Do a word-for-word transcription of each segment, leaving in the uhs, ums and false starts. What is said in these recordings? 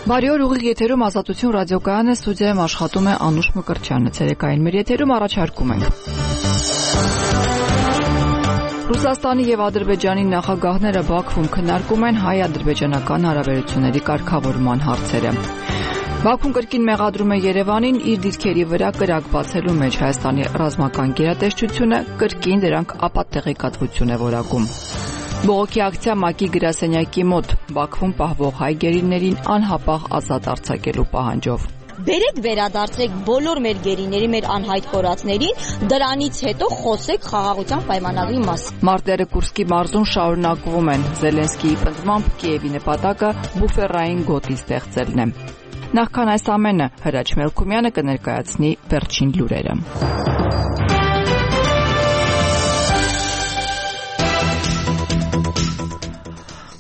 Բարի օր, ուղիղ եթերում Ազատություն ռադիոկայանը, ստուդիայում աշխատում է Անուշ Մկրտչյանը, ցերեկային մեր եթերում առաջարկում ենք։ Ռուսաստանի եւ Ադրբեջանի նախագահները Բաքվում քննարկում են հայ-ադրբեջանական հարաբերությունների կարգավորման հարցերը։ Բաքուն կրկին մեղադրում է Երևանին իր դիրքերի վրա կրակ բացելու մեջ Հայաստանի ռազմական գերատեսչությունը, կրկին դրանք ապատեղեկատվություն է որակում։ Բողոքի ակցիա ՄԱԿ-ի գրասենյակի մոտ Բաքվում պահվող հայ գերիներին անհապաղ ազատ արձակելու պահանջով։ Բերեք վերադարձրեք բոլոր մեր գերիների, մեր անհայտ կորածներին, դրանից հետո խոսեք խաղաղության պայմանագրի մասին։ Մարտերը Կուրսկի մարզում շարունակվում են։ Զելենսկիի պնդմամբ Կիևի նպատակը բուֆերային գոտի ստեղծելն է։ Նախքան այս ամենը Հրաչ Մելքումյանը կներկայացնի վերջին լուրերը։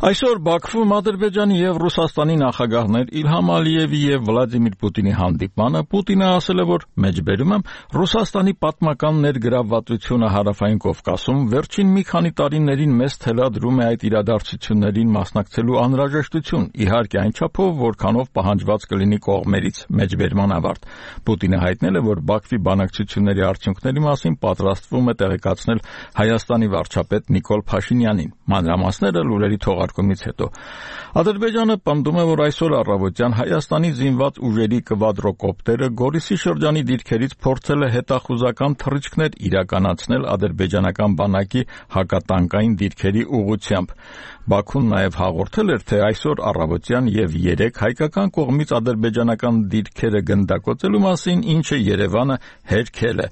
Այսօր Բաքվում Ադրբեջանի եւ Ռուսաստանի նախագահներ Իլհամ Ալիևի եւ Վլադիմիր Պուտինի հանդիպմանը Պուտինը ասել է, որ մեջբերում է Ռուսաստանի պատմական ներգրավվածությունը Հարավային Կովկասում վերջին մի քանի տարիներին մեծ թելադրում է այդ իրադարձություններին մասնակցելու անհրաժեշտություն, իհարկե այն չափով, որքանով պահանջված կլինի կողմերից մեջբերման ավարտ։ Պուտինը հայտնել է, որ Բաքվի բանակցությունների արդյունքների մասին պատրաստվում է տեղեկացնել Հայաստանի վարչապետ Նիկոլ Փաշինյանին։ Մանրամասները լուրերի թողարկումից հետո Ադրբեջանը պնդում է, որ այսօր առավոտյան Հայաստանի զինված ուժերի կվադրոկոպտերը Գորիսի շրջանի դիրքերից փորձել է հետախուզական թռիչքներ իրականացնել ադրբեջանական բանակի հակատանկային դիրքերի ուղղությամբ։ Բաքուն նաև հաղորդել էր, թե այսօր առավոտյան եւ երեկ հայկական կողմից ադրբեջանական դիրքերը գնդակոծելու մասին, ինչը Երևանը հերքել է։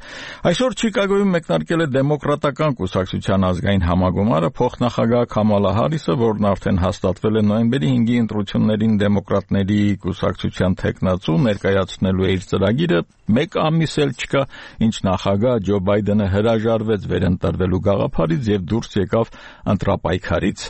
Այսօր Չիկագոյում մեկնարկել է Դեմոկրատական կուսակցության ազգային համագումարը, փոխնախագահ Քամալա Հարիսը, որն արդեն հաստատվել է նոյեմբերի հինգի ընտրություններին դեմոկրատների կուսակցության թեկնածու, ներկայացնելու է իր ծրագիրը, մեկ ամիս էլ չկա, ինչ նախագահ Ջո Բայդենը հրաժարվեց վերընտրվելու գաղափարից եւ դուրս եկավ ընտրապայքարից։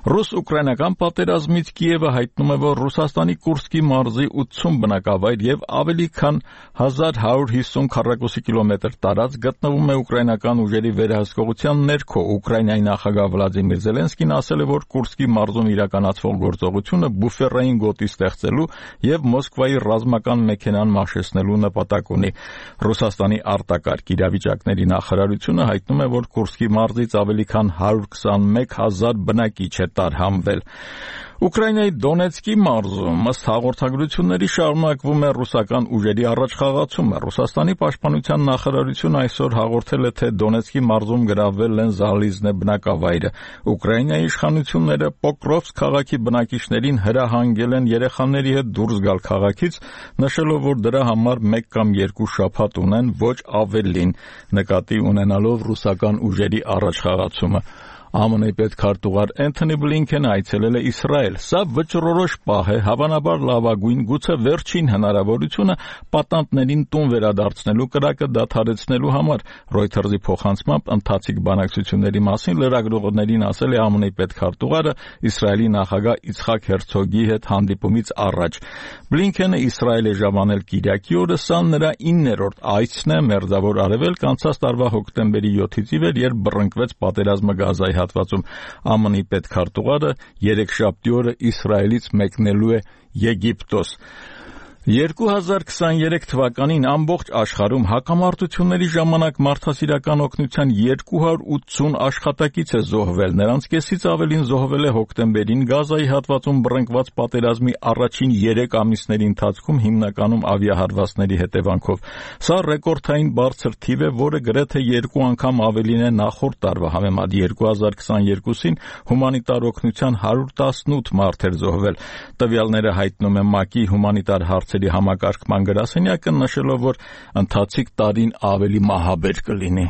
Ռուս-ուկրաինական պատերազմից Կիևը հայտնում է, որ Ռուսաստանի Կուրսկի մարզի ութսուն բնակավայր եւ ավելի քան հազար հարյուր հիսուն քառակուսի կիլոմետր տարածք գտնվում է ուկրաինական ուժերի վերահսկողության ներքո։ Ուկրաինայի նախագահ Վլադիմիր Զելենսկին ասել է, որ Կուրսկի մարզում իրականացվող գործողությունը բուֆերային գոտի ստեղծելու եւ Մոսկվայի ռազմական մեքենան մաշեցնելու նպատակ ունի։ Ռուսաստանի արտակարգ իրավիճակների նախարարությունը հայտնում է, որ Կուրսկի մարզից ավելի քան հարյուր քսանմեկ հազար բնակիչ է տարհանվել։ Ուկրաինայի Դոնեցկի մարզում ըստ հաղորդագրությունների շարունակվում է ռուսական ուժերի առաջխաղացումը։ Ռուսաստանի պաշտպանության նախարարությունը այսօր հաղորդել է, թե Դոնեցկի մարզում գրավվել են Զալիզնե բնակավայրը։ Ուկրաինայի իշխանությունները Պոկրովսկ քաղաքի բնակիչներին հրահանգել են երեխաների հետ դուրս գալ քաղաքից, նշելով, որ դրա համար մեկ կամ երկու շաբաթ ունեն, ոչ ավելին, նկատի ունենալով ռուսական ուժերի առաջխաղացումը։ ԱՄՆ-ի պետքարտուղար Էնթոնի Բլինքենը այցելել է Իսրայել։ Սա վճռորոշ պահ է, հավանաբար լավագույն, գուցե վերջին հնարավորությունը պատանդներին տուն վերադարձնելու կրակը դադարեցնելու համար։ Reuters-ի փոխանցմամբ ընթացիկ բանակցությունների մասին լրագրողներին ասել է ԱՄՆ-ի պետքարտուղարը Իսրայելի նախագահ Իցխակ Հերցոգի հետ հանդիպումից առաջ։ Բլինքենը Իսրայել է ժամանել Կիրակի օրը, սա նրա իններորդ այցն է Մերձավոր Արևելք անցած տարվա հոկտեմբերի յոթից ի վեր, երբ բռնկվեց պատերազմը Գազայի հատվածում։ ԱՄՆ-ի պետքարտուղարը երեքշաբթի օրը Իսրայելից մեկնելու է Եգիպտոս։ երկու հազար քսաներեք թվականին ամբողջ աշխարհում հակամարտությունների ժամանակ մարդասիրական օգնության երկու հարյուր ութսուն աշխատակից է զոհվել, նրանց կեսից ավելին զոհվել է հոկտեմբերին Գազայի հատվածում բռնկված պատերազմի առաջին երեք ամիսների ընթացքում, հիմնականում ավիահարվածների հետևանքով։ Սա ռեկորդային բարձր թիվ է, որը գրեթե երկու անգամ ավելին է նախորդ տարվա համեմատ։ երկու հազար քսաներկուսին հումանիտար օգնության հարյուր տասնութ մարդ էր զոհվել։ Տվյալները հայտնում է ՄԱԿ-ի հումանիտար հարցերի համակարգման գրասենյակը, նշելով, որ ընթացիկ տարին ավելի մահաբեր կլինի։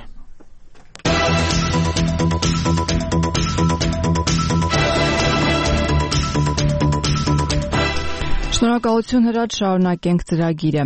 Շնորհակալություն Հրաչ, շարունակենք ծրագիրը։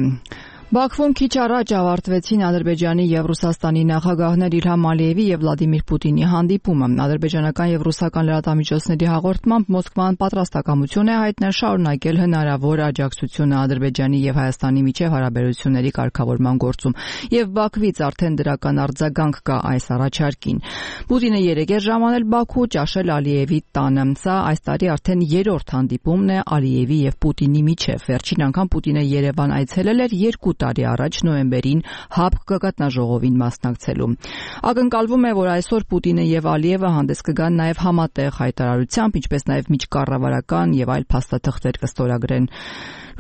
Բաքվում քիչ առաջ ավարտվեցին Ադրբեջանի եւ Ռուսաստանի նախագահներ Իլհամ Ալիևի եւ Վլադիմիր Պուտինի հանդիպումը։ Ադրբեջանական եւ ռուսական լրատվամիջոցների հաղորդմամբ Մոսկվան պատրաստակամություն է հայտնել շարունակել հնարավոր աջակցությունը Ադրբեջանի եւ Հայաստանի միջև հարաբերությունների կարգավորման գործում, եւ Բաքվից արդեն դրական արձագանք կա այս առաջարկին։ Պուտինը երեկ էր ժամանել Բաքու ճաշել Ալիևի տանը։ Սա այս տարի արդեն երրորդ հանդիպումն է Ալիևի եւ Պուտինի միջև։ Վերջին անգամ Պուտինը Երևան այցելել էր երկու տարի առաջ նոյեմբերին ՀԱՊԿ գագաթնաժողովին մասնակցելու։ Ակնկալվում է, որ այսօր Պուտինը եւ Ալիևը հանդես կգան նաեւ համատեղ հայտարարությամբ, ինչպես նաեւ միջկառավարական եւ այլ փաստաթղթեր կստորագրեն։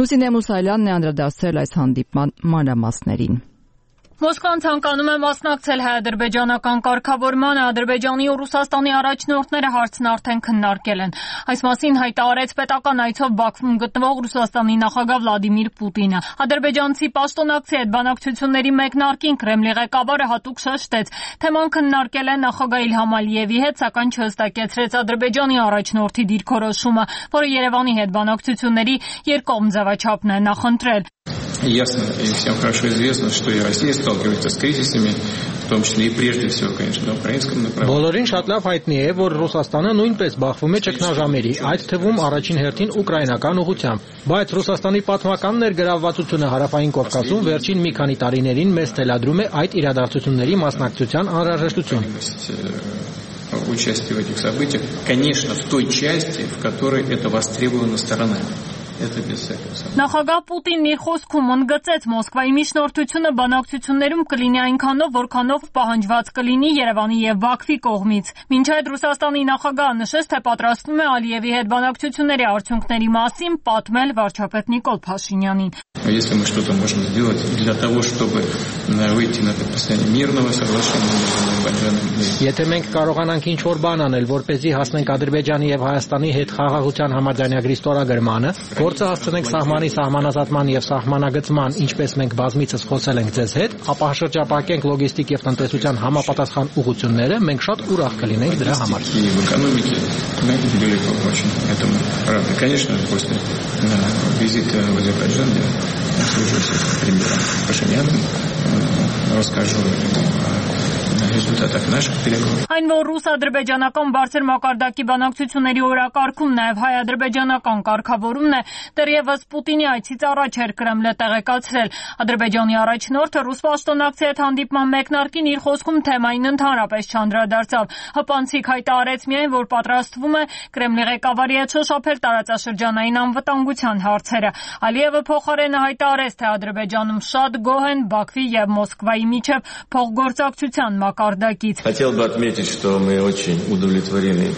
Լուսինե Մուսայելյանն է անդրադարձել այս հանդիպման մանրամասներին։ Մոսկվան ցանկանում է մասնակցել հայ-ադրբեջանական կարգավորմանը, Ադրբեջանի ու Ռուսաստանի առաջնորդները հարցն արդեն քննարկել են։ Այս մասին հայտարարեց պետական այցով Բաքվում գտնվող Ռուսաստանի նախագահ Վլադիմիր Պուտինը։ Ադրբեջանցի պաշտոնակցի հետ բանակցությունների մեկնարկին Կրեմլի ղեկավարը հատուկ շեշտեց, թեման քննարկել է նախագահ Իլհամ Ալիևի հետ, սակայն չհստակեցրեց Ադրբեջանի առաջնորդի դիրքորոշումը, որը Երևանի հետ բանակցությունների երկկողմ ձևաչափն է նախընտրել։ Ясно и всем хорошо известно, что и Россия сталкивается с кризисами, в том числе и прежде всего, конечно, на украинском направлении. Բոլորին շատ լավ հայտնի է, որ Ռուսաստանը նույնպես բախվում է ճգնաժամերի, այդ թվում առաջին հերթին ուկրաինական ուղղությամբ։ Բայց Ռուսաստանի պատմական ներգրավվածությունը Հարավային Կովկասում վերջին մի քանի տարիներին մեզ թելադրում է այդ իրադարձությունների մասնակցության անհրաժեշտություն։ Участие в этих событиях, конечно, в той части, в которой это востребовано сторонами. Նախագահ Պուտինն իր խոսքում ընդգծեց Մոսկվայի միջնորդությունը բանակցություններում կլինի այնքանով, որքանով պահանջված կլինի Երևանի եւ Բաքվի կողմից։ Մինչ այդ Ռուսաստանի նախագահը նշեց, թե պատրաստվում է Ալիևի հետ բանակցությունների արդյունքների մասին պատմել վարչապետ Նիկոլ Փաշինյանին։ Если мы что-то можем сделать для того, чтобы выйти на подписание мирного соглашения между Ադրբեջանում Եթե մենք կարողանանք ինչ-որ բան անել, որպեսզի հասնենք Ադրբեջանի եւ Հայաստանի հետ խաղաղության համաձայնագրի ստորագրմանը, գործը հասցնենք սահմանի սահմանազատման եւ սահմանագծման, ինչպես մենք բազմիցս խոսել ենք ձեզ հետ, ապա շրջապակենք լոգիստիկ եւ տնտեսության համապատասխան ուղղությունները, մենք շատ ուրախ կլինենք դրա համար։ Конечно, после визита в Азербайджан я свяжусь с премьером Пашиняном, расскажу ему о результатах наших переговоров. Այն որ ռուս-ադրբեջանական բարձր մակարդակի բանակցությունների օրակարգում նաև հայ-ադրբեջանական կարգավորումն է, դեռևս Պուտինի այցից առաջ էր Կրեմլը տեղեկացրել։ Ադրբեջանի առաջնորդը ռուս պաշտոնակցի հետ հանդիպման մեկնարկին իր խոսքում թեմային ընդհանրապես չանդրադարձավ։ Հպանցիկ հայտարարեց միայն, որ պատրաստվում է Կրեմլի ղեկավարի հետ շոշափել տարածաշրջանային անվտանգության հարցերը։ Ալիևը փոխարենը հայտարարեց, թե Ադրբեջանում շատ գոհ են Բաքվի եւ Մոսկվայի միջև փոխգործակցության մակարդակից։ Хотел бы отметить, что мы очень удовлетворены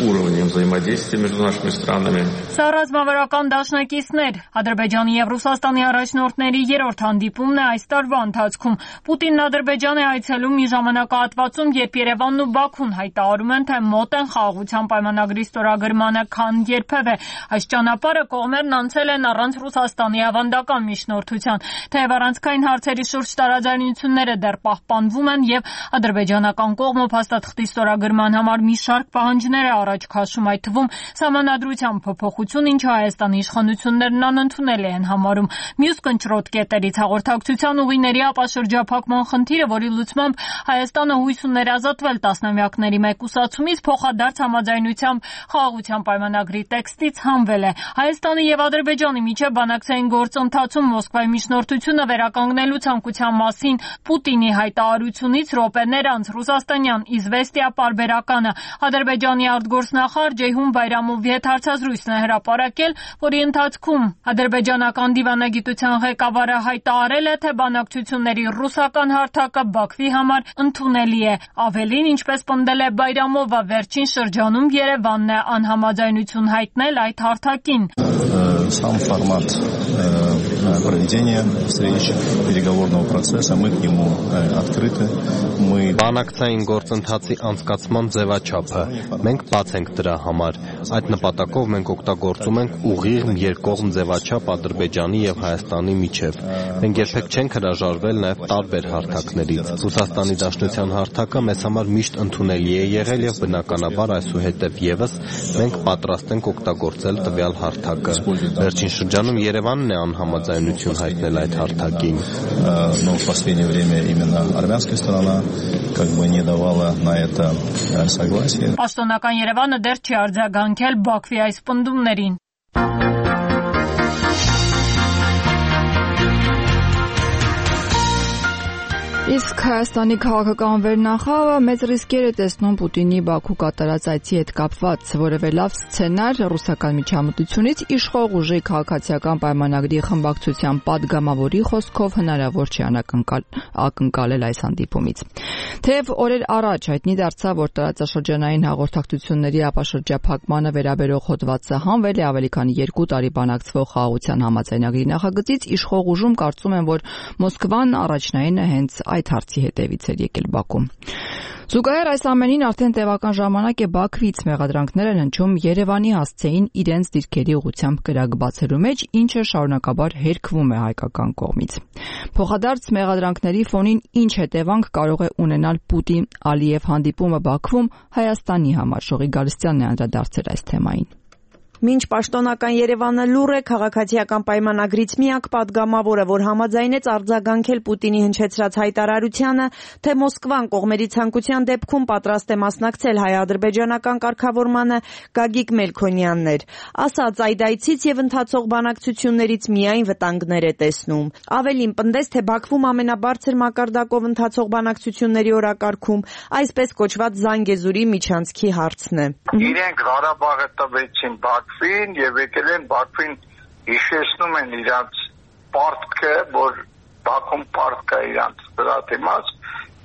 уровнем взаимодействия между нашими странами. Սա ռազմավարական դաշնակիցներ Ադրբեջանի եւ Ռուսաստանի առաջնորդների երրորդ հանդիպումն է այս տարվա ընթացքում։ Պուտինն Ադրբեջան է այցելում մի ժամանակահատվածում, երբ Երևանն ու Բաքուն հայտարարում են, թե մոտ են խաղաղության պայմանագրի ստորագրմանը, քան երբևէ։ Այս ճանապարհը կողմերն անցել են առանց Ռուսաստանի ավանդական միջնորդության, թեև առանցքային հարցերի շուրջ տարաձայնությունները դեռ պահպանվում են եւ ադրբեջանական կողմը փաստաթղթի ստորագրման համար մի շարք պահանջներ է առաջ քաշում, այդ թվում սահմանադրության փոփոխություն, ինչը Հայաստանի իշխանություններն անընդունելի են համարում։ Մյուս կնճռոտ կետերից հաղորդակցության ուղիների ապաշրջափակման խնդիրը, որի լուծմամբ Հայաստանը հույս ուներ ազատվել տասնամյակների մեկուսացումից, փոխադարձ համաձայնությամբ խաղաղության պայմանագրի տեքստից հանվել է։ Հայաստանի եւ Ադրբեջանի միջև բանակցային գործընթացում Մոսկվայի միջնորդությունը վերականգնելու ցանկության մասին Պուտինի հայտարարությունից րոպեներ անց ռուսաստանյան Իզվեստիա պարբերականը Ադրբեջանի արտգործնախարար Ջեյհուն Բայրամովի հետ հարցազրույցն է հրապարակել, որի ընթացքում ադրբեջանական դիվանագիտության ղեկավարը հայտարարել է, թե բանակցությունների ռուսական հարթակը Բաքվի համար ընդունելի է։ Ավելին, ինչպես պնդել է Բայրամովը, վերջին շրջանում Երևանն է անհամաձայնություն հայտնել այդ հարթակին։ Сам формат проведения встреч, переговорного процесса, мы к нему открыты. Мы Բանակցային գործընթացի անցկացման ձևաչափը մենք բաց ենք դրա համար։ Այդ նպատակով մենք օգտագործում ենք ուղիղ երկկողմ ձևաչափ Ադրբեջանի եւ Հայաստանի միջև։ Մենք երբեք չենք հրաժարվել նաեւ տարբեր հարթակներից։ Ռուսաստանի Դաշնության հարթակը մեզ համար միշտ ընդունելի է եղել եւ բնականաբար այսուհետեւ եւս մենք պատրաստ ենք օգտագործել տվյալ հարթակը։ Վերջին շրջանում Երևանն է անհամաձայն համաձայնություն հայտնել այդ հարթակին։ Но в последнее время именно армянская сторона как бы не давала на это согласие. Պաշտոնական Երևանը դեռ չի արձագանքել Բաքվի այս պնդումներին։ Իսկ Հայաստանի քաղաքական վերնախավը մեծ ռիսկեր է տեսնում Պուտինի Բաքու կատարած այցի հետ կապված, որևէ լավ սցենար ռուսական միջամտությունից իշխող ուժի քաղաքացիական պայմանագրի խմբակցության падգամավորի խոսքով հնարավոր չի ակնկալել այս հանդիպումից։ Թեև օրեր առաջ հայտնի դարձավ, որ տարածաշրջանային հաղորդակցությունների ապաշրջափակմանը վերաբերող հոդվածը հանվել է ավելի քան երկու տարի բանակցվող խաղաղության համաձայնագրի նախագծից, իշխող ուժում կարծում են, որ Մոսկվան առաջնայինը հենց այդ հարցի հետևից էր եկել Բաքու։ Զուգահեռ այս ամենին արդեն տևական ժամանակ է Բաքվից մեղադրանքներ են հնչում Երևանի հասցեին իրենց դիրքերի ուղղությամբ կրակ բացելու մեջ, ինչը շարունակաբար հերքվում է հայկական կողմից։ Փոխադարձ մեղադրանքների ֆոնին ինչ հետևանք կարող է ունենալ Պուտին-Ալիև հանդիպումը Բաքվում Հայաստանի համար։ Շողի Գալստյանն է անդրադարձել այս թեմային։ Մինչ պաշտոնական Երևանը լուր է քաղաքացիական պայմանագրից միակ падգամավորը, որ համաձայնեց արձագանքել Պուտինի հնչեցրած հայտարարությանը, թե Մոսկվան կողմերի ցանկության դեպքում պատրաստ է մասնակցել հայ-ադրբեջանական կարգավորմանը, Գագիկ Մելքոնյանն էր, ասաց այդ այցից եւ ընթացող բանակցություններից միայն վտանգներ է տեսնում։ Ավելին պնդեց, թե Բաքվում ամենաբարձր մակարդակով ընթացող բանակցությունների օրակարգում այսպես կոչված Զանգեզուրի միջանցքի հարցն է։ Իրենք Ղարաբաղը տվեցին Բաքվին եւ եկել են Բաքվին հիշեցնում են իրանց պարտքը, որ Բաքվում պարտք է իրանց դրա դիմաց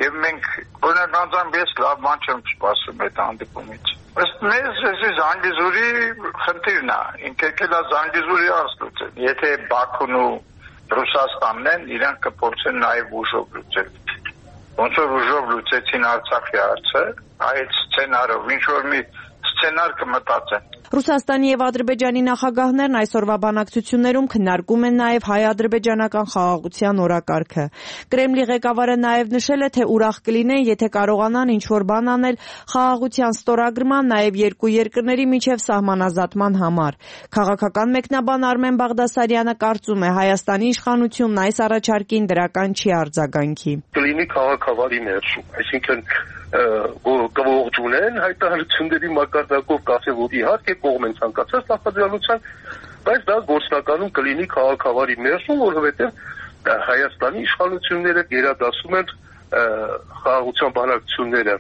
եւ մենք օրինականությամբ ես լավ բան չեմ սպասում այդ հանդիպումից։ Ըստ մեզ էսի Զանգեզուրի խնդիրն է, ինքը կելա Զանգեզուրի հարցը։ Եթե Բաքուն ու Ռուսաստանն են, իրանք կփորձեն նաեւ ուժով լուծել։ Ոնց որ ուժով լուծեցին Արցախի հարցը, այդ սցենարով ինչ որ մի սցենար կմտածեն։ Ռուսաստանի եւ Ադրբեջանի նախագահներն այսօրվա բանակցություններում քննարկում են նաեւ հայ-ադրբեջանական խաղաղության օրակարգը։ Կրեմլի ղեկավարը նաեւ նշել է, թե ուրախ կլինեն, եթե կարողանան ինչ-որ բան անել խաղաղության ստորագրման, նաեւ երկու երկրների միջև սահմանազատման համար։ Քաղաքական մեկնաբան Արմեն Բաղդասարյանը կարծում է, Հայաստանի իշխանությունն այս առաջարկին դրական չի արձագանքի։ Կլինի քաղաքավարի ներշում, այսինքն կողջունեն հայտարարությունների մակարդակով կասեն, որ իհարկե կողմ են ցանկացած նախաձեռնության, բայց դա գործնականում կլինի քաղաքավարի ներշում, որովհետև Հայաստանի իշխանությունները գերադասում են խաղաղության բանակցությունները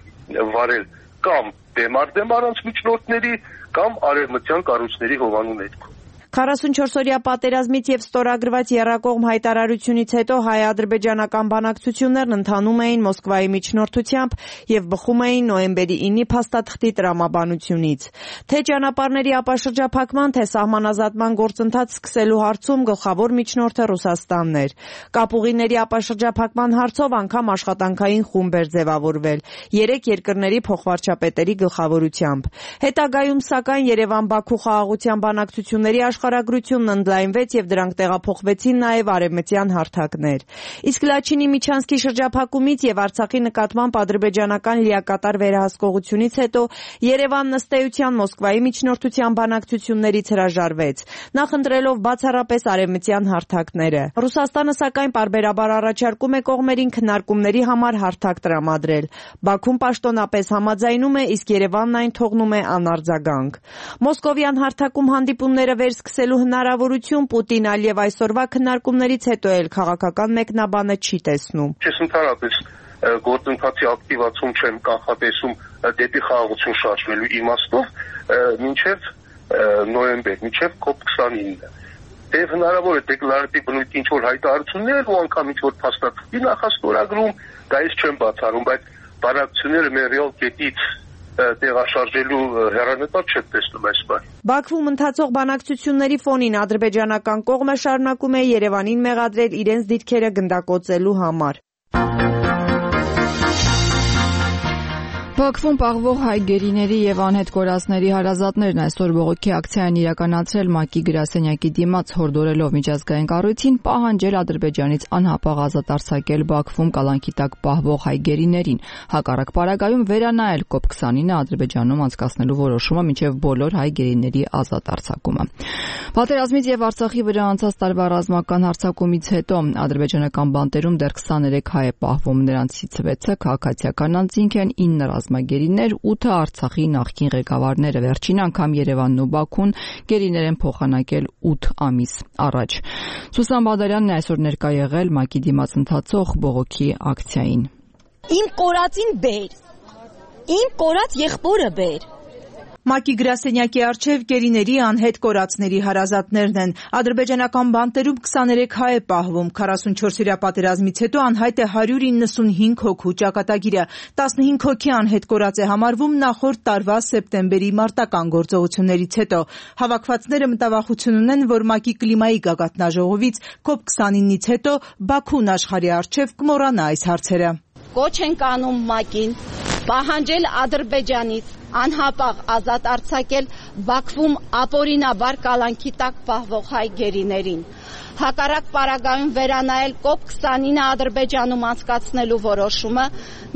վարել կամ դեմար-դեմ առանց միջնորդների, կամ արևմտյան կառույցների հովանու ներքո։ քառասունչորս-օրյա պատերազմից եւ ստորագրված եռակողմ հայտարարությունից հետո հայ-ադրբեջանական բանակցություններն ընթանում էին Մոսկվայի միջնորդությամբ եւ բխում էին նոյեմբերի ինը փաստաթղթի տրամաբանությունից։ Թե ճանապարհների ապաշրջափակման, թե սահմանազատման գործընթաց սկսելու հարցում գլխավոր միջնորդը Ռուսաստանն էր։ Կապուղիների ապաշրջափակման հարցով անգամ աշխատանքային խումբ էր ձևավորվել երեք երկրների փոխվարչապետերի գլխավորությամբ։ Հետագայում սակայն Երևան-Բաքու խաղաղության բանակցությունների աշխարհագրությունն ընդլայնվեց եւ դրանք տեղափոխվեցին նաեւ արևմտյան հարթակներ։ Իսկ Լաչինի Միչանսկի շրջափակումից եւ Արցախի նկատմամբ ադրբեջանական լիակատար վերահսկողությունից հետո Երևանն ըստ էության Մոսկվայի միջնորդության բանակցություններից հրաժարվեց, նախընտրելով բացառապես արևմտյան հարթակները։ Ռուսաստանը սակայն պարբերաբար առաջարկում է կողմերին քննարկումների համար հարթակ տրամադրել։ Բաքուն պաշտոնապես համաձայնում է, իսկ Երևանն այն թողնում է անարձագանք։ Մոսկովյան հարթակում հանդիպումները վերսկսելու հնարավորություն Պուտին-Ալիև այսօրվա քննարկումներից հետո էլ քաղաքական մեկնաբանը չի տեսնում։ Ես ընդհանրապես գործընթացի ակտիվացում չեմ կանխատեսում դեպի խաղաղություն շարժվելու իմաստով մինչև նոյեմբեր, մինչև կոպ քսանինը։ Եվ հնարավոր է դեկլարատիվ բնույթի ինչ-որ հայտարարություններ ու անգամ ինչ-որ փաստաթղթի նախաստորագրում, դա ես չեմ բացառում, բայց բանակցությունները մեր ռեալ կետից տեղաշարժելու հեռանկար չեմ տեսնում այս բանը։ Բաքվում ընթացող բանակցությունների ֆոնին ադրբեջանական կողմը շարունակում է Երևանին մեղադրել իրենց դիրքերը գնդակոծելու համար։ Բաքվում պահվող հայ գերիների եւ անհետ կորածների հարազատներն այսօր բողոքի ակցիա են իրականացրել ՄԱԿ-ի գրասենյակի դիմաց, հորդորելով միջազգային կառույցին պահանջել Ադրբեջանից անհապաղ ազատ արձակել Բաքվում կալանքի տակ պահվող հայ գերիներին, հակառակ պարագայում վերանայել կոպ քսանինը Ադրբեջանում անցկացնելու որոշումը մինչև բոլոր հայ գերիների ազատ արձակումը։ Պատերազմից եւ Արցախի վրա անցած տարվա ռազմական հարձակումից հետո ադրբեջանական բանտերում դեռ քսաներեք հայ է պահվում, նրանցից վեցը քաղաքացիական անձինք են, ինը ռազմագերիներ, ութը Արցախի նախկին ղեկավարները, վերջին անգամ Երևանն ու Բաքուն գերիներ են փոխանակել ութ ամիս առաջ։ Սուսան Բադարյանն այսօր ներկա եղել ՄԱԿ-ի դիմաց ընթացող բողոքի ակցիային։ Իմ կորածին բեր։ Իմ կորած եղբորը բեր։ ՄԱԿ-ի գրասենյակի առջև գերիների անհետ կորածների հարազատներն են։ Ադրբեջանական բանտերում քսաներեք հայ է պահվում, քառասունչորսօրյա պատերազմից հետո անհայտ է հարյուր իննսունհինգ հոգու ճակատագիրը, տասնհինգ հոգի անհետ կորած է համարվում նախորդ տարվա սեպտեմբերի մարտական գործողություններից հետո։ Հավաքվածները մտավախություն ունեն, որ ՄԱԿ-ի կլիմայի գագաթնաժողովից կոպ քսանինից հետո Բաքուն աշխարհի առջև կմոռանա այս հարցերը։ Կոչ ենք անում ՄԱԿ-ին պահանջել Ադրբեջանից անհապաղ ազատ արձակել Բաքվում ապօրինաբար կալանքի տակ պահվող հայ գերիներին, հակառակ պարագայում վերանայել կոպ քսանինը Ադրբեջանում անցկացնելու որոշումը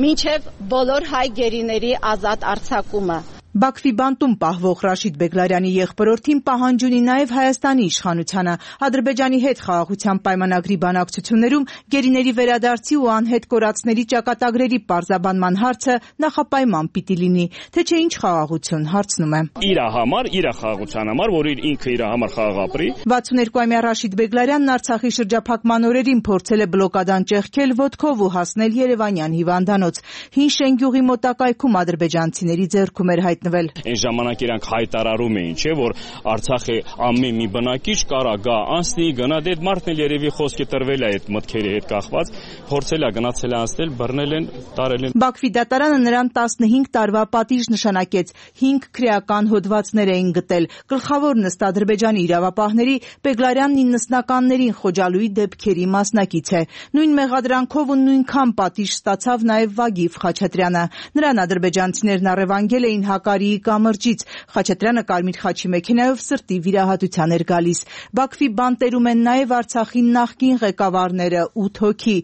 մինչև բոլոր հայ գերիների ազատ արձակումը։ Բաքվի բանտում պահվող Ռաշիդ Բեգլարյանի եղբորորդին պահանջ ունի նաև Հայաստանի իշխանությանը։ Ադրբեջանի հետ խաղաղության պայմանագրի բանակցություններում գերիների վերադարձի ու անհետ կորածների ճակատագրերի պարզաբանման հարցը նախապայման պիտի լինի, թե չէ ինչ խաղաղություն, հարցնում եմ։ Իր համար, իր խաղաղության համար, որ ինքը իր համար խաղաղ ապրի։ վաթսուներկուամյա Ռաշիդ Բեգլարյանն Արցախի շրջափակման օրերին փորձել է բլոկադան ճեղքել ոտքով ու հասնել Երևանյան հիվանդանոց։ Հին Շենգյուղի մոտակայքում ադրբեջանցիների ձեռքում էր հայտնվել։ Այն ժամանակ իրանք հայտարարում էին, չէ, որ Արցախի ամեն մի բնակիչ կարա գա անցնի, գնա դե մարդն էլ երևի խոսքի տրվել է այդ մտքերի հետ կախված, փորձել է գնացել է անցնել, բռնել են, տարել են։ Բաքվի դատարանը նրան տասնհինգ տարվա պատիժ նշանակեց, հինգ քրեական հոդվածներ էին գտել։ Գլխավորն ըստ Ադրբեջանի իրավապահների Բեգլարյանն իննսնականներին խոջալույի դեպքերի մասնակից է։ Նույն մեղադրանքով ու նույնքան պատիժ ստացավ նաև Վագիվ Խաչատրյանը։ Նրան ադրբեջանցիներն առևանգել էին Հակարիի կամրջից։ Խաչատրյանը կարմիր խաչի մեքենայով սրտի վիրահատության էր գալիս։ Բաքվի բանտերում են նաև Արցախի նախկին ղեկավարները ութ հոգի։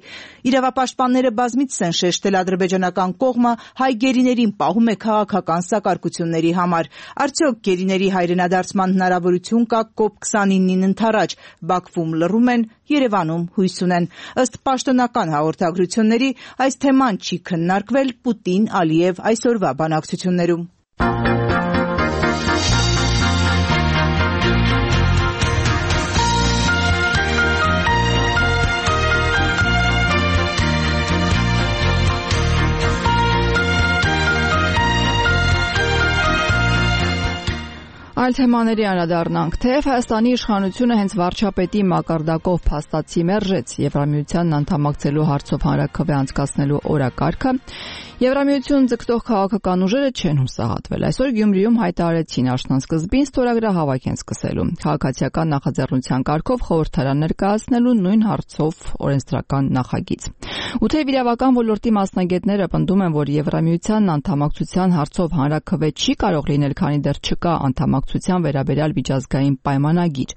Իրավապաշտպանները բազմիցս են շեշտել ադրբեջանական կողմը հայ գերիներին պահում է քաղաքական սակարկությունների համար։ Արդյոք գերիների հայրենադարձման հնարավորություն կա կոպ քսանինին ընդառաջ։ Բաքվում լռում են, Երևանում հույս ունեն։ Ըստ պաշտոնական հաղորդագրությունների այս թեման չի քննարկվել Պուտին-Ալիև այսօրվա բանակցություններում։ Այլ թեմաների անդրադառնանք, թեև Հայաստանի իշխանությունը հենց վարչապետի մակարդակով փաստացի մերժեց Եվրամիությանն անդամակցելու հարցով հանրաքվե անցկացնելու օրակարգը, Եվրամիություն ձգտող քաղաքական ուժերը չեն հուսահատվել։ Այսօր Գյումրիում հայտարարեցին աշնանսկզբին ստորագրահավաք են սկսելու քաղաքացիական նախաձեռնության կարգով խորհրդարան ներկայացնելու նույն հարցով օրենսդրական նախագիծ։ Ու թեև իրավական ոլորտի մասնագետները պնդում են, որ Եվրամիությանն անդամակցության հարցով հանրաքվե չի կարող լինել, քանի դեռ չկա անդամակցության վերաբերյալ միջազգային պայմանագիր։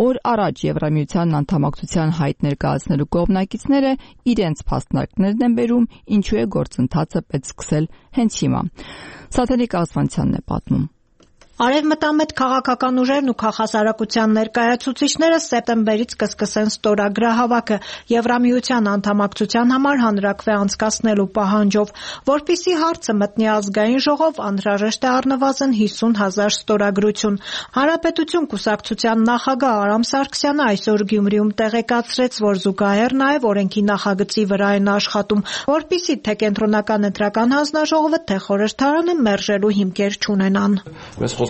Օր առաջ Եվրամիությանն անդամակցության հայտ ներկայացնելու կողմնակիցները իրենց փաստարկներն են բերում, ինչու է գործընթացը պետք սկսել հենց հիմա։ Սաթենիկ Ասվանցյանն է պատմում։ Արևմտամետ քաղաքական ուժերն ու քաղաքասարակության ներկայացուցիչները սեպտեմբերից կսկսեն ստորագրահավաքը Եվրամիության անդամակցության համար հանրաքվե անցկացնելու պահանջով, որպեսզի հարցը մտնի ազգային ժողով, անհրաժեշտ է առնվազն հիսուն հազար ստորագրություն։ Հանրապետություն կուսակցության նախագահ Արամ Սարգսյանը այսօր Գյումրիում տեղեկացրեց, որ զուգահեռ նաև օրենքի նախագծի վրա են աշխատում, որպեսզի թե կենտրոնական ընտրական հանձնաժողովը, թե խորհրդարանը մերժելու հիմքեր չունենան։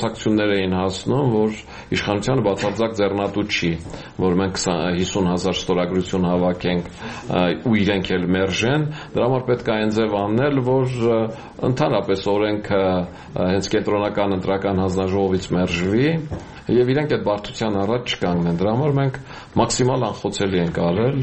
Խոսակցություններ էին հասնում, որ իշխանությանը բացարձակ ձեռնատու չի, որ մենք հիսուն հազար ստորագրություն հավաքենք ու իրենք էլ մերժեն, դրա համար պետք է այն ձև անել, որ ընդհանրապես օրենքը հենց կենտրոնական ընտրական հանձնաժողովից մերժվի եւ իրենք այդ բարդության առաջ չկանգնեն։ Դրա համար մենք մաքսիմալ անխոցելի ենք արել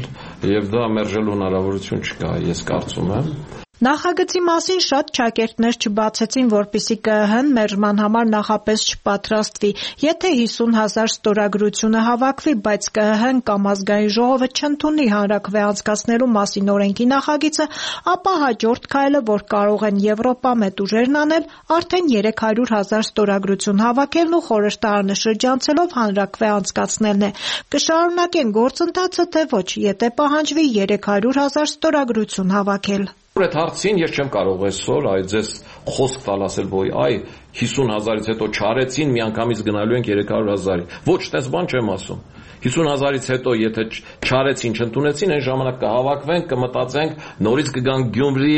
եւ դա մերժելու հնարավորություն չկա, ես կարծում եմ։ Նախագծի մասին շատ ճակերտներ չբացեցին, որպեսզի ԿԸՀ-ն մերժման համար նախապես չպատրաստվի։ Եթե հիսուն հազար ստորագրությունը հավաքվի, բայց ԿԸՀ-ն կամ ազգային ժողովը չընդունի հանրաքվե անցկացնելու մասին օրենքի նախագիծը, ապա հաջորդ քայլը, որ կարող են Եվրոպա մեծ ուժերն անել, արդեն երեք հարյուր հազար ստորագրություն հավաքելն ու խորհրդարանը շրջանցելով հանրաքվե անցկացնելն է։ Կշարունակեն գործընթացը, թե ոչ, եթե պահանջվի երեք հարյուր հազար ստորագրություն հավաքել։ Այդ հարցին ես չեմ կարող այսօր այ ձեզ խոսք տալ ասել, որ այ հիսուն հազարից հետո չարեցին, միանգամից գնալու ենք երեք հարյուր հազարի։ Ոչ, տես բան չեմ ասում։ հիսուն հազարից հետո եթե չարեցին, չընդունեցին, այն ժամանակ կհավաքվենք, կմտածենք, նորից կգանք Գյումրի,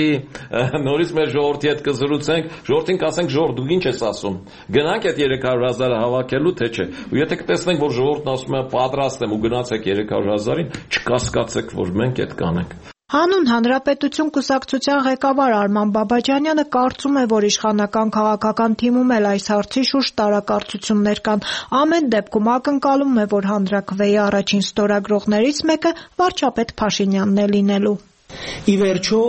նորից մեր ժողովրդի հետ կզրուցենք, ժողովրդին կասենք, ժողովուրդ դու ինչ ես ասում։ Գնանք այդ երեք հարյուր հազարը հավաքելու, թե չէ։ Ու եթե կտեսնենք, որ ժողովուրդն ասում է պատրաստ եմ ու գնացեք երեք հարյուր հազարին, չկասկածեք, որ մենք այդ կանենք։ Հանուն Հանրապետություն կուսակցության ղեկավար Արման Բաբաջանյանը կարծում է, որ իշխանական քաղաքական թիմում էլ այս հարցի շուրջ տարակարծություններ կան։ Ամեն դեպքում ակնկալում է, որ հանրաքվեի առաջին ստորագրողներից մեկը վարչապետ Փաշինյանն է լինելու։ Ի վերջո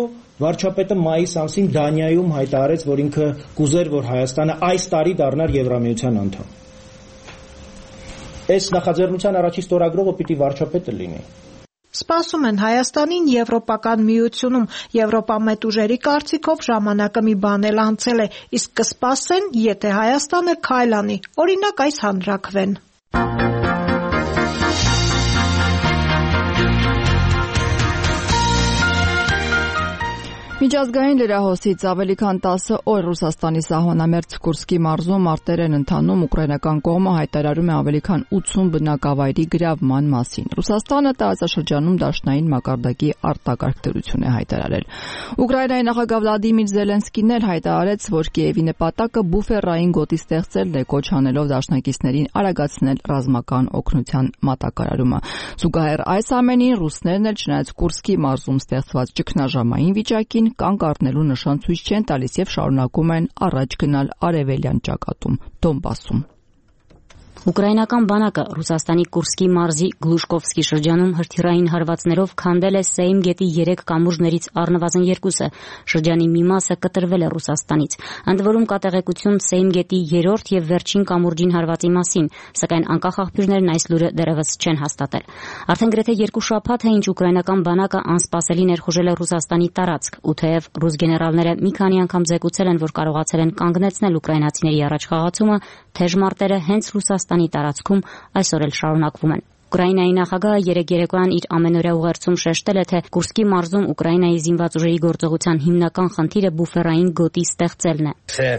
վարչապետը մայիս ամսին Դանիայում հայտարարեց, որ ինքը կուզեր, որ Հայաստանը այս տարի դառնար Եվրամիության անդամ։ Այս նախաձեռնության առաջին ստորագրողը պիտի վարչապետը լինի։ Սպասում են Հայաստանին Եվրոպական միությունում։ Եվրոպամետ ուժերի կարծիքով ժամանակը մի բան էլ անցել է, իսկ կսպասեն, եթե Հայաստանը քայլ անի, օրինակ այս հանրաքվեն։ Միջազգային լրահոսից ավելի քան տասը օր Ռուսաստանի սահմանամերձ Կուրսկի մարզում մարտեր են ընթանում, ուկրաինական կողմը հայտարարում է ավելի քան ութսուն բնակավայրի գրավման մասին։ Ռուսաստանը տարածաշրջանում դաշնային մակարդակի արտակարգ դրություն է հայտարարել։ Ուկրաինայի նախագահ Վլադիմիր Զելենսկին էլ հայտարարեց, որ Կիևի նպատակը բուֆերային գոտի ստեղծելն է, կոչ անելով դաշնակիցներին արագացնել ռազմական օգնության մատակարարումը։ Զուգահեռ այս ամենին ռուսներն էլ չնայած Կուրսկի մարզում ստեղծված ճգնաժամային վիճակին կանգ առնելու նշան ցույց չեն տալիս եւ շարունակում են առաջ գնալ արևելյան ճակատում Դոնբասում։ Ուկրաինական բանակը Ռուսաստանի Կուրսկի մարզի Գլուշկովսկի շրջանում հրթիռային հարվածներով քանդել է Սեյմ գետի երեք կամուրջներից առնվազն երկուսը։ Շրջանի մի մասը կտրվել է Ռուսաստանից։ Ընդ որում կա տեղեկություն Սեյմ գետի երրորդ եւ վերջին կամուրջին հարվածի մասին, սակայն անկախ աղբյուրներն այս լուրը դեռևս չեն հաստատել։ Արդեն գրեթե երկու շաբաթ է ինչ ուկրաինական բանակը անսպասելի ներխուժել է Ռուսաստանի տարածք, ու թեև ռուս գեներալները մի քանի անգամ զեկուցել են, որ կարողացել են կանգնեցնել ուկրաինացիների առաջխաղացումը, թեժ մարտերը հենց Ռուսաստանի տարածքում այսօր էլ շարունակվում են։ Ուկրաինայի նախագահը երեկ երեկոյան իր ամենօրյա ուղերձում շեշտել է, թե Կուրսկի մարզում Ուկրաինայի զինված ուժերի գործողության հիմնական խնդիրը բուֆերային գոտի ստեղծելն է։ Це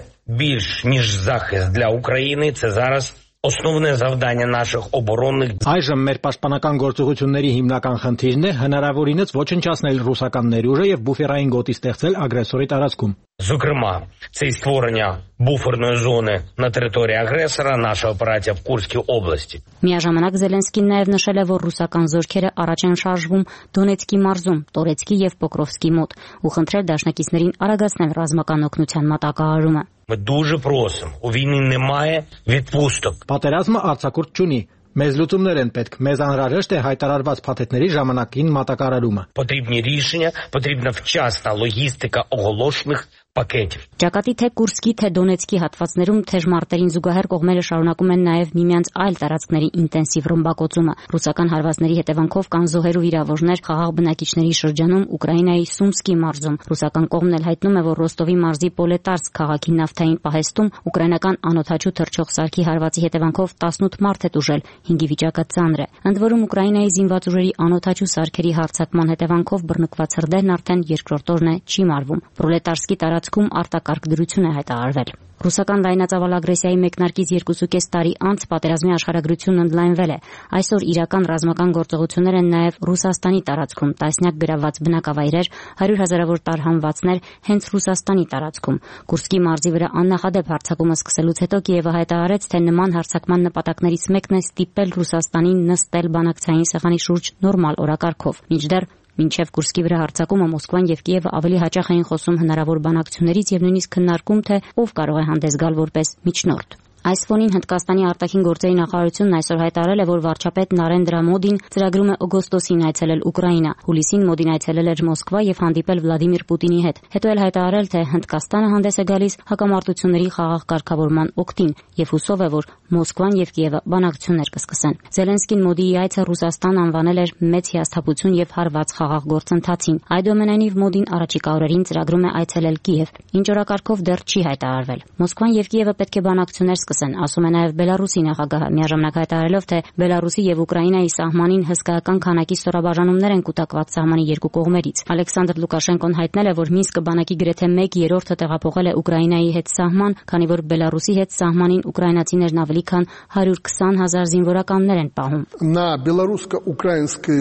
більш ніж захист для України, це зараз Основне завдання наших оборонних Այժմ մեր պաշտպանական գործողությունների հիմնական խնդիրն է հնարավորինս ոչնչացնել ռուսական ներուժը եւ բուֆերային գոտի ստեղծել ագրեսորի տարածքում։ Зокрема, це і створення буферної зони на території агресора, наша операція в Курській області. Միաժամանակ Զելենսկին նաև նշել է, որ ռուսական զորքերը առաջ են շարժվում Դոնեցկի մարզում, Տորեցկի եւ Պոկրովսկի մոտ, ու խնդրել դաշնակիցներին արագացնել ռազմական օգնության մատակարարումը։ Ми дуже просимо, у війні немає відпусток. Պատերազմը արձակուրդ չունի։ Մեզ լուծումներ են պետք, մեզ անհրաժեշտ է հայտարարված փաթեթների ժամանակին մատակարարումը։ Потрібні рішення, потрібна вчасна логістика оголошених պակետ։ Ճակատի թե Կուրսկի, թե Դոնեցկի հատվածներում թեժ մարտերին զուգահեռ կողմերը շարունակում են նաև միմյանց այլ տարածքների ինտենսիվ ռմբակոծումը։ Ռուսական հարվածների հետևանքով կան զոհեր ու վիրավորներ խաղաղ բնակիչների շրջանում Ուկրաինայի Սումսկի մարզում։ Ռուսական կողմն էլ հայտնում է, որ Ռոստովի մարզի Պոլետարսկ քաղաքի նավթային պահեստում ուկրաինական անօդաչու թռչող սարքի հարվածի հետևանքով տասնութ մարդ է տուժել, հինգի վիճակը ծանր է։ Ընդ որում Ուկրաինայի զինված ուժերի անօդաչու սարքերի հարձակման հետևանքով բռնկված հրդեհն արդեն երկրորդ օրն է չի մարվում։ Պրոլետարսկի տարածքում արտակարգ դրություն է հայտարարվել։ Ռուսական լայնածավալ ագրեսիայի մեկնարկից երկուսուկես տարի անց պատերազմի աշխարհագրությունն ընդլայնվել է։ Այսօր իրական ռազմական գործողություններ են նաև Ռուսաստանի տարածքում, տասնյակ գրավված բնակավայրեր, հարյուր հազարավոր տարհանվածներ հենց Ռուսաստանի տարածքում։ Կուրսկի մարզի վրա աննախադեպ հարձակումը սկսելուց հետո Կիևը հայտարարեց, թե նման հարձակման նպատակներից մեկն է ստիպել Ռուսաստանին նստել բանակցային սեղանի շուրջ նորմալ օրակարգով։ Մինչդեռ Մինչև Կուրսկի վրա հարձակումը Մոսկվան եւ Կիևը ավելի հաճախ էին խոսում հնարավոր բանակցություններից եւ նույնիսկ քննարկում, թե ով կարող է հանդես գալ որպես միջնորդ։ Այս ֆոնին Հնդկաստանի արտաքին գործերի նախարարությունն այսօր հայտարարել է, որ վարչապետ Նարենդրա Մոդին ծրագրում է օգոստոսին այցելել Ուկրաինա։ Հուլիսին Մոդին այցելել էր Մոսկվա եւ հանդիպել Վլադիմիր Պուտինի հետ։ Հետո էլ հայտարարել, թե Հնդկաստանը հանդես է գալիս հակամարտությունների խաղաղ կարգավորման օգտին եւ հուսով է, որ Մոսկվան եւ Կիևը բանակցություններ կսկսեն։ Զելենսկին Մոդիի այցը Ռուսաստան անվանել էր մեծ հիասթափություն եւ հարված խաղաղ գործընթացին։ Այդուամենայնիվ Մոդին առաջիկա օրերին ծրագրում է այցելել Կիև, ինչ օրակարգով դեռ չի հայտարարվել։ Մոսկվան եւ Կիևը պետք է բանակցություններ սկսեն, ասում է նաեւ Բելարուսի նախագահը, միաժամանակ հայտարարելով, թե Բելարուսի եւ Ուկրաինայի սահմանին հսկայական քանակի ստորաբաժանումներ են կուտակված սահմանի երկու կողմերից։ Ալեքսանդր Լուկաշենկոն հայտնել է, որ Մինսկը բանակի գրեթե մեկ երրորդը տեղափոխել է Ուկրաինայի հետ սահման, քանի որ Բելարուսի հետ սահմանին ուկրաինացիներն ավելի քան հարյուր քսան հազար զինվորականներ են պահում։ На белорусско-украинской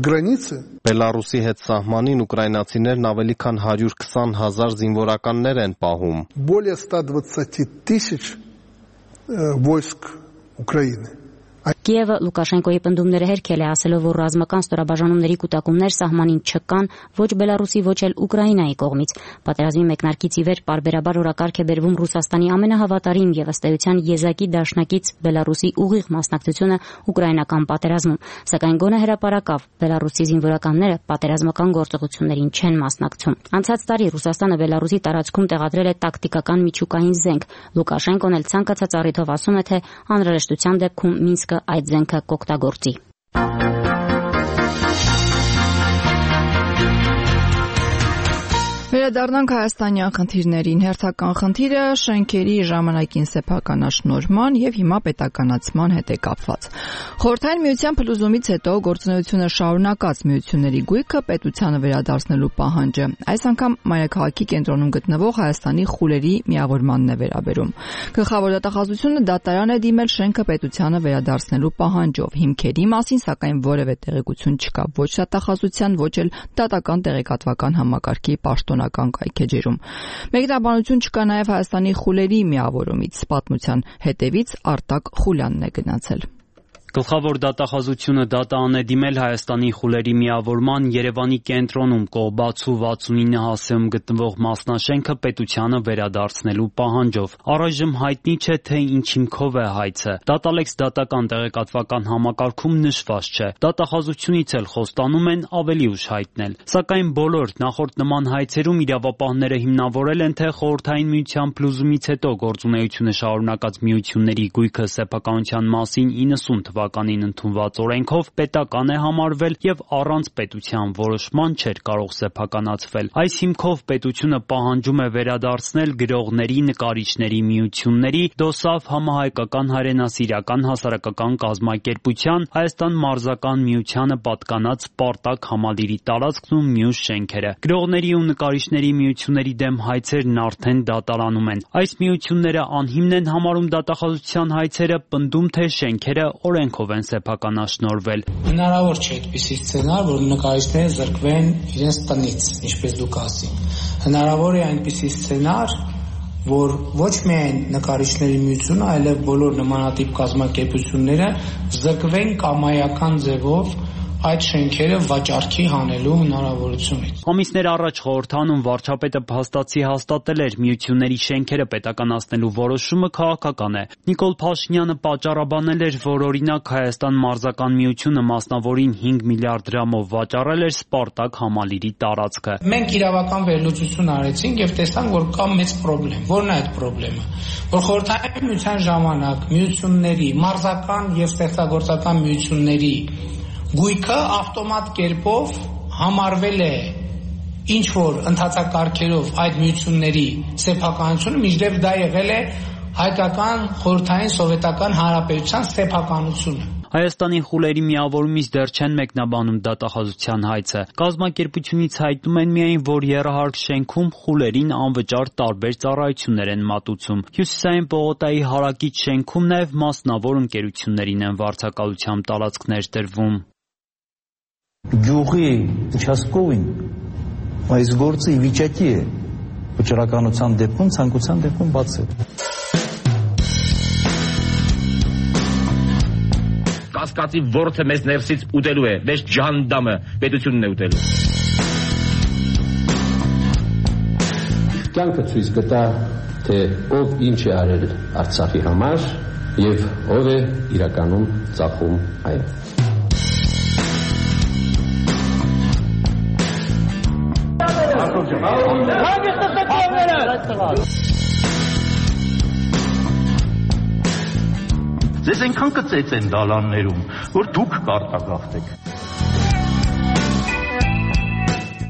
границе Բելարուսի հետ սահմանին ուկրաինացիներն ավելի քան հարյուր քսան հազար զինվորականներ են պահում։ Более ста двадцати тысяч войск Украины. Կիևը Լուկաշենկոյի պնդումները հերքել է, ասելով, որ ռազմական ստորաբաժանումների կուտակումներ սահմանին չկան ոչ Բելարուսի, ոչ էլ Ուկրաինայի կողմից։ Պատերազմի մեկնարկից ի վեր պարբերաբար օրակարգ է բերվում Ռուսաստանի ամենահավատարիմ եւ ըստ էության եզակի դաշնակից Բելարուսի ուղիղ մասնակցությունը ուկրաինական պատերազմում, սակայն գոնե հրապարակավ Բելարուսի զինվորականները պատերազմական գործողություններին չեն մասնակցում։ Անցած տարի Ռուսաստանը Բելարուսի տարածքում տեղադրել է տակտիկական միջուկային զենք։ Լուկաշենկոն էլ ցանկացած առիթով ասում է, թե անհրաժեշտության դեպքում Մինսկը այդ զենքը կօգտագործի։ Վերադառնանք հայաստանյան խնդիրներին։ Հերթական խնդիրը շենքերի ժամանակին սեփականաշնորհման եւ հիմա պետականացման հետ է կապված։ Խորհրդային միության փլուզումից հետո գործունեությունը շարունակած միությունների գույքը պետությանը վերադարձնելու պահանջը այս անգամ մայրաքաղաքի կենտրոնում գտնվող Հայաստանի խուլերի միավորմանն է վերաբերում։ Գլխավոր դատախազությունը դատարան է դիմել շենքը պետությանը վերադարձնելու պահանջով։ Հիմքերի մասին սակայն որևէ տեղեկություն չկա ոչ դատախազության, ոչ էլ դատական տեղեկատվական համակարգի պաշտոնական կայքեջերում։ Մեկնաբանություն չկա նաև Հայաստանի խուլերի միավորումից։ Պատմության հետևից Արտակ Խուլյանն է գնացել։ Գլխավոր դատախազությունը դատան է դիմել Հայաստանի խուլերի միավորման Երևանի կենտրոնում Կողբացու վաթսունինը հասցեում գտնվող մասնաշենքը պետությանը վերադարձնելու պահանջով։ Առայժմ հայտնի չէ, թե ինչ հիմքով է հայցը։ Դատալեքս դատական տեղեկատվական համակարգում նշված չէ։ Դատախազությունից էլ խոստանում են ավելի ուշ հայտնել։ Սակայն բոլոր նախորդ նման հայցերում իրավապահները հիմնավորել են, թե Խորհրդային միության փլուզումից հետո գործունեությունը շարունակած միությունների գույքը սեփականության մասին իննսուն թվականին ընդունված օրենքով պետական է համարվել եւ առանց պետության որոշման չէր կարող սեփականացվել։ Այս հիմքով պետությունը պահանջում է վերադարձնել գրողների, նկարիչների միությունների, ԴՕՍԱՖ համահայկական հայրենասիրական հասարակական կազմակերպության, Հայաստան մարզական միությանը պատկանած Սպարտակ համալիրի տարածքն ու մյուս շենքերը։ Գրողների ու նկարիչների միությունների դեմ հայցերն արդեն դատարանում են։ Այս միությունները անհիմն են համարում դատախազության հայցերը, պնդում թե շենքերը օրենքով են սեփականաշնորհվել։ Հնարավոր չէ այդպիսի սցենար, որ նկարիչները զրկվեն իրենց տնից, ինչպես դուք ասին։ Հնարավոր է այնպիսի սցենար, որ ոչ միայն նկարիչների միությունը, այլև բոլոր նմանատիպ կազմակերպությունները զրկվեն կամայական ձևով այդ շենքերը վաճառքի հանելու հնարավորությունից։ Ամիսներ առաջ խորհրդանում վարչապետը փաստացի հաստատել էր միությունների շենքերը պետականացնելու որոշումը քաղաքական է։ Նիկոլ Փաշինյանը պատճառաբանել էր, որ օրինակ Հայաստան մարզական միությունը մասնավորին հինգ միլիարդ դրամով վաճառել էր Սպարտակ համալիրի տարածքը։ Մենք իրավական վերլուծություն արեցինք եւ տեսանք, որ կա մեծ խնդրեմ։ Որն է այդ խնդրեմը։ Որ խորհրդային միության ժամանակ միությունների, մարզական եւ ստեղծագործական միությունների գույքը ավտոմատ կերպով համարվել է ինչ որ ընդհանցակարգերով այդ միությունների սեփականությունը, մինչդեռ դա եղել է հայկական խորհրդային սովետական հանրապետության սեփականությունը։ Հայաստանի խուլերի միավորումից դեռ չեն մեկնաբանում դատախազության հայցը։ Կազմակերպությունից հայտնում են միայն, որ եռահարկ շենքում խուլերին անվճար տարբեր ծառայություններ են մատուցում։ Հյուսիսային պողոտայի հարակից շենքում նաև մասնավոր ընկերություններին են վարձակալությամբ տարածքներ տրվում։ Գյուղի участковին այս գործը ի վիճակի է վճռականության դեպքում, ցանկության դեպքում բացել։ Կասկածի ворթը մեզ ներսից ուտելու է, մեզ ջանդամը պետությունն է ուտելու։ Կյանքը ցույց կտա, թե ով ինչ է արել Արցախի համար եւ ով է իրականում ծախում այն։ Ձեզ այնքան կծեց են դալաններում, որ դուք կարտագաղթեք։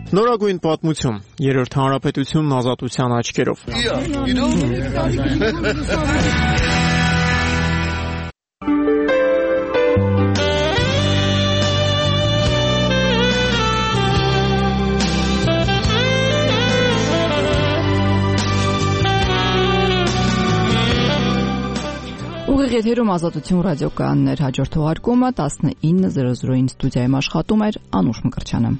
Նորագույն պատմություն, երրորդ հանրապետությունն ազատության աչքերով։ Ուղիղ եթերում Ազատություն ռադիոկայաններ, հաջորդ թողարկումը տասնինը զրո զրոին ստուդիայում աշխատում էր Անուշ Մկրտչյանը։